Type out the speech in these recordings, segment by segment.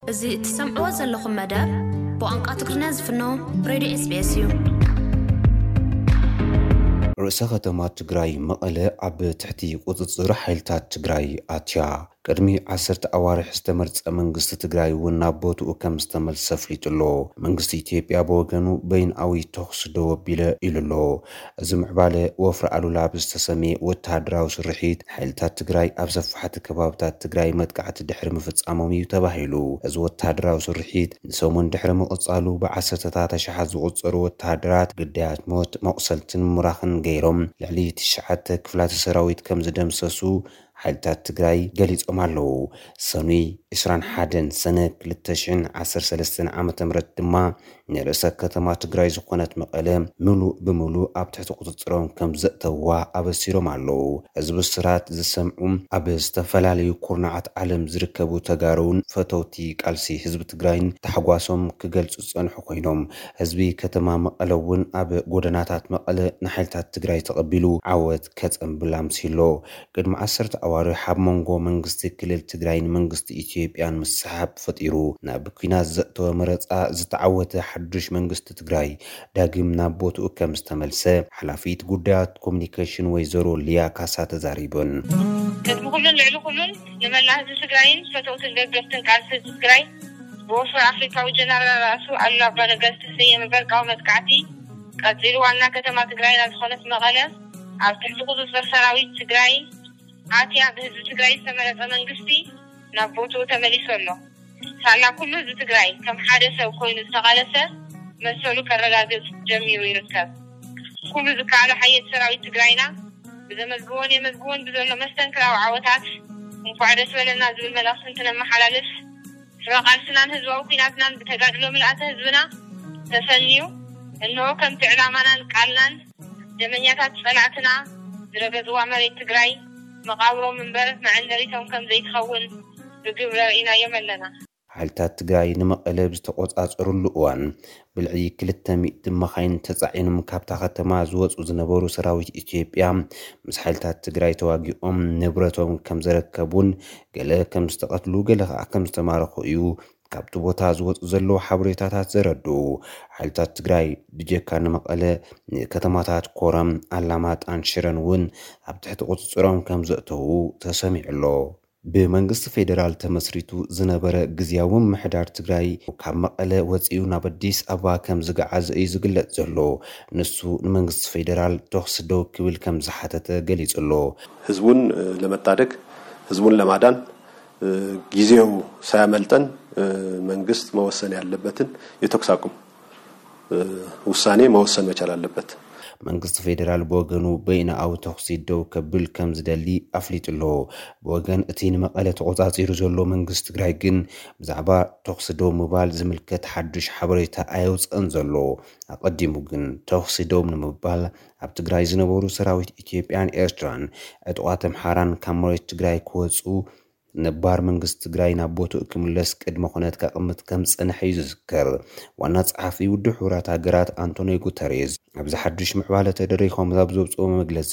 እዚ እትሰምዕዎ ዘለኹም መደብ ብቋንቋ ትግርኛ ዝፍኖ ሬድዮ ኤስቢኤስ እዩ። ርእሰ ከተማ ትግራይ መቐለ ኣብ ትሕቲ ቁፅፅር ሓይልታት ትግራይ ኣትያ። ቅድሚ ዓሰርተ ኣዋርሕ ዝተመርፀ መንግስቲ ትግራይ እውን ናብ ቦትኡ ከም ዝተመልሰ ኣፍሊጡ ኣሎ። መንግስቲ ኢትዮጵያ ብወገኑ በይንኣዊ ተኹሲ ደው ኣቢለ ኢሉ ኣሎ። እዚ ምዕባለ ወፍሪ ኣሉላ ብዝተሰምየ ወተሃደራዊ ስርሒት ሓይልታት ትግራይ ኣብ ሰፋሕቲ ከባብታት ትግራይ መጥቃዕቲ ድሕሪ ምፍፃሞም እዩ ተባሂሉ። እዚ ወተሃደራዊ ስርሒት ንሰሙን ድሕሪ ምቕፃሉ ብዓሰርተታት ኣሽሓት ዝቑፀሩ ወተሃደራት ግዳያት ሞት፣ መቑሰልትን ምራኽን ገይሮም ልዕሊ ትሽዓተ ክፍላተ ሰራዊት ከም ዝደምሰሱ ሓይልታት ትግራይ ገሊጾም ኣለዉ። ሰኑይ ዕስራን ሓደን ሰነ ክልተ ሽሕን ዓሰርተ ሰለስተን ዓመተ ምህረት ድማ ንርእሰ ከተማ ትግራይ ዝኾነት መቐለ ምሉእ ብምሉእ ኣብ ትሕቲ ቁፅፅሮም ከም ዘእተውዋ ኣበሲሮም ኣለዉ። እዚ ብስራት ዝሰምዑ ኣብ ዝተፈላለዩ ኩርናዓት ዓለም ዝርከቡ ተጋሩን ፈተውቲ ቃልሲ ህዝቢ ትግራይን ታሕጓሶም ክገልጹ ዝጸንሑ ኮይኖም፣ ህዝቢ ከተማ መቐለ እውን ኣብ ጎደናታት መቐለ ንሓይልታት ትግራይ ተቐቢሉ ዓወት ከጸንብል ኣምሲሎ። ቅድሚ ዓሰርተ ኣዋርሕ ኣብ መንጎ መንግስቲ ክልል ትግራይን መንግስቲ ኢትዮጵያን ምስሕሓብ ፈጢሩ ናብ ኲናት ዘእተወ መረጻ ዝተዓወተ ሓዱሽ መንግስቲ ትግራይ ዳግም ናብ ቦትኡ ከም ዝተመልሰ ሓላፊት ጉዳያት ኮሙኒኬሽን ወይዘሮ ሊያ ካሳ ተዛሪበን። ቅድሚ ኩሉን ልዕሊ ኩሉን ንመላእ ህዝቢ ትግራይን ፈተውትን ደገፍትን ቃልሲ ህዝቢ ትግራይ ብወፍሪ ኣፍሪካዊ ጀነራል ራእሱ ኣሉላ ኣባነጋ ዝተሰየመ በርቃዊ መጥቃዕቲ ቀፂሉ ዋና ከተማ ትግራይና ዝኾነት መቐለ ኣብ ትሕቲ ቁፅፅር ሰራዊት ትግራይ ኣትያ ብህዝቢ ትግራይ ዝተመረፀ መንግስቲ ናብ ቦትኡ ተመሊሱ ኣሎ። ሳላ ኩሉ ህዝቢ ትግራይ ከም ሓደ ሰብ ኮይኑ ዝተቓለሰ መሰሉ ከረጋግፅ ጀሚሩ ይርከብ። ኩሉ ዝከኣሎ ሓየት ሰራዊት ትግራይና ብዘመዝግቦን የመዝግቦን ብዘሎ መስተንክራዊ ዓወታት እንኳዕ ደስ በለና ዝብል መልእኽቲ እንትነመሓላልፍ፣ ስረ ቃልስናን ህዝባዊ ኲናትናን ብተጋድሎ ምልኣተ ህዝብና ተሰንዩ፣ እንሆ ከምቲ ዕላማናን ቃልናን ደመኛታት ጸላእትና ዝረገጽዋ መሬት ትግራይ መቓብሮም እምበር መዐንደሪቶም ከም ዘይትኸውን ብግብሪ ርኢናዮም ኣለና። ሓይልታት ትግራይ ንመቐለ ብዝተቖጻጸሩሉ እዋን ብልዕሊ ክልተ ሚእቲ መኻይን ተጻዒኖም ካብታ ከተማ ዝወጹ ዝነበሩ ሰራዊት ኢትዮጵያ ምስ ሓይልታት ትግራይ ተዋጊኦም ንብረቶም ከም ዘረከቡን ገለ ከም ዝተቐትሉ ገለ ከዓ ከም ዝተማረኹ እዩ ካብቲ ቦታ ዝወፁ ዘለዉ ሓበሬታታት ዘረድኡ። ሓይልታት ትግራይ ብጀካ ንመቐለ ንከተማታት ኮረም፣ ኣላማጣን ሽረን እውን ኣብ ትሕቲ ቁፅፅሮም ከም ዘእተዉ ተሰሚዑ ኣሎ። ብመንግስቲ ፌዴራል ተመስሪቱ ዝነበረ ግዝያዊ ምምሕዳር ትግራይ ካብ መቐለ ወፂኡ ናብ ኣዲስ ኣበባ ከም ዝገዓዘ እዩ ዝግለፅ ዘሎ። ንሱ ንመንግስቲ ፌዴራል ተኹሲ ደው ክብል ከም ዝሓተተ ገሊፁ ኣሎ። ህዝቡን ለመታደግ ህዝቡን ለማዳን ጊዜው ሳያመልጠን መንግስት መወሰን ያለበትን የተኩስ አቁም ውሳኔ መወሰን መቻል አለበት። መንግስቲ ፌዴራል ብወገኑ በይንኣዊ ተኹሲ ደው ከብል ከም ዝደሊ ኣፍሊጡ ኣሎ። ብወገን እቲ ንመቐለ ተቖጻጺሩ ዘሎ መንግስቲ ትግራይ ግን ብዛዕባ ተኹሲ ደው ምባል ዝምልከት ሓዱሽ ሓበሬታ ኣየውፅእን ዘሎ። ኣቐዲሙ ግን ተኹሲ ደው ንምባል ኣብ ትግራይ ዝነበሩ ሰራዊት ኢትዮጵያን ኤርትራን ዕጡቓት ኣምሓራን ካብ መሬት ትግራይ ክወፁ ነባር መንግስቲ ትግራይ ናብ ቦትኡ ክምለስ ቅድመ ኩነት ከቕምጥ ከም ዝጸንሐ እዩ ዝዝከር። ዋና ጸሓፊ ውድብ ሕቡራት ሃገራት ኣንቶኒዮ ጉተሬዝ ኣብዚ ሓዱሽ ምዕባለ ተደሪኾም ኣብ ዘውፅኦ መግለጺ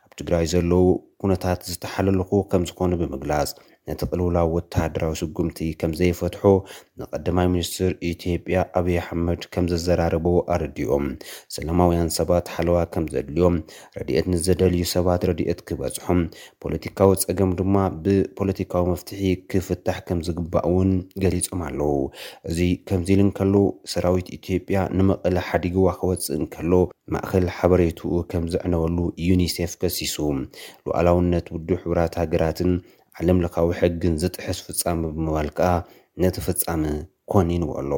ኣብ ትግራይ ዘለዉ ኩነታት ዝተሓለልኹ ከም ዝኾኑ ብምግላጽ ነቲ ቅልውላው ወተሃደራዊ ስጉምቲ ከም ዘይፈትሖ ንቀዳማይ ሚኒስትር ኢትዮጵያ ኣብይ ኣሕመድ ከም ዘዘራረቦ ኣረዲኦም። ሰላማውያን ሰባት ሓለዋ ከም ዘድልዮም፣ ረድኤት ንዘደልዩ ሰባት ረድኤት ክበጽሖም፣ ፖለቲካዊ ጸገም ድማ ብፖለቲካዊ መፍትሒ ክፍታሕ ከም ዝግባእ እውን ገሊጾም ኣለዉ። እዚ ከምዚ ኢሉ እንከሎ ሰራዊት ኢትዮጵያ ንመቐለ ሓዲግዋ ክወጽእ እንከሎ ማእኸል ሓበሬትኡ ከም ዘዕነወሉ ዩኒሴፍ ከሲሱ። ሉዓላውነት ውድብ ሕቡራት ሃገራትን ዓለም ለኻዊ ሕግን ዝጥሕስ ፍጻመ ብምባል ከኣ ነቲ ፍጻመ ኮኒንዎ ኣሎ።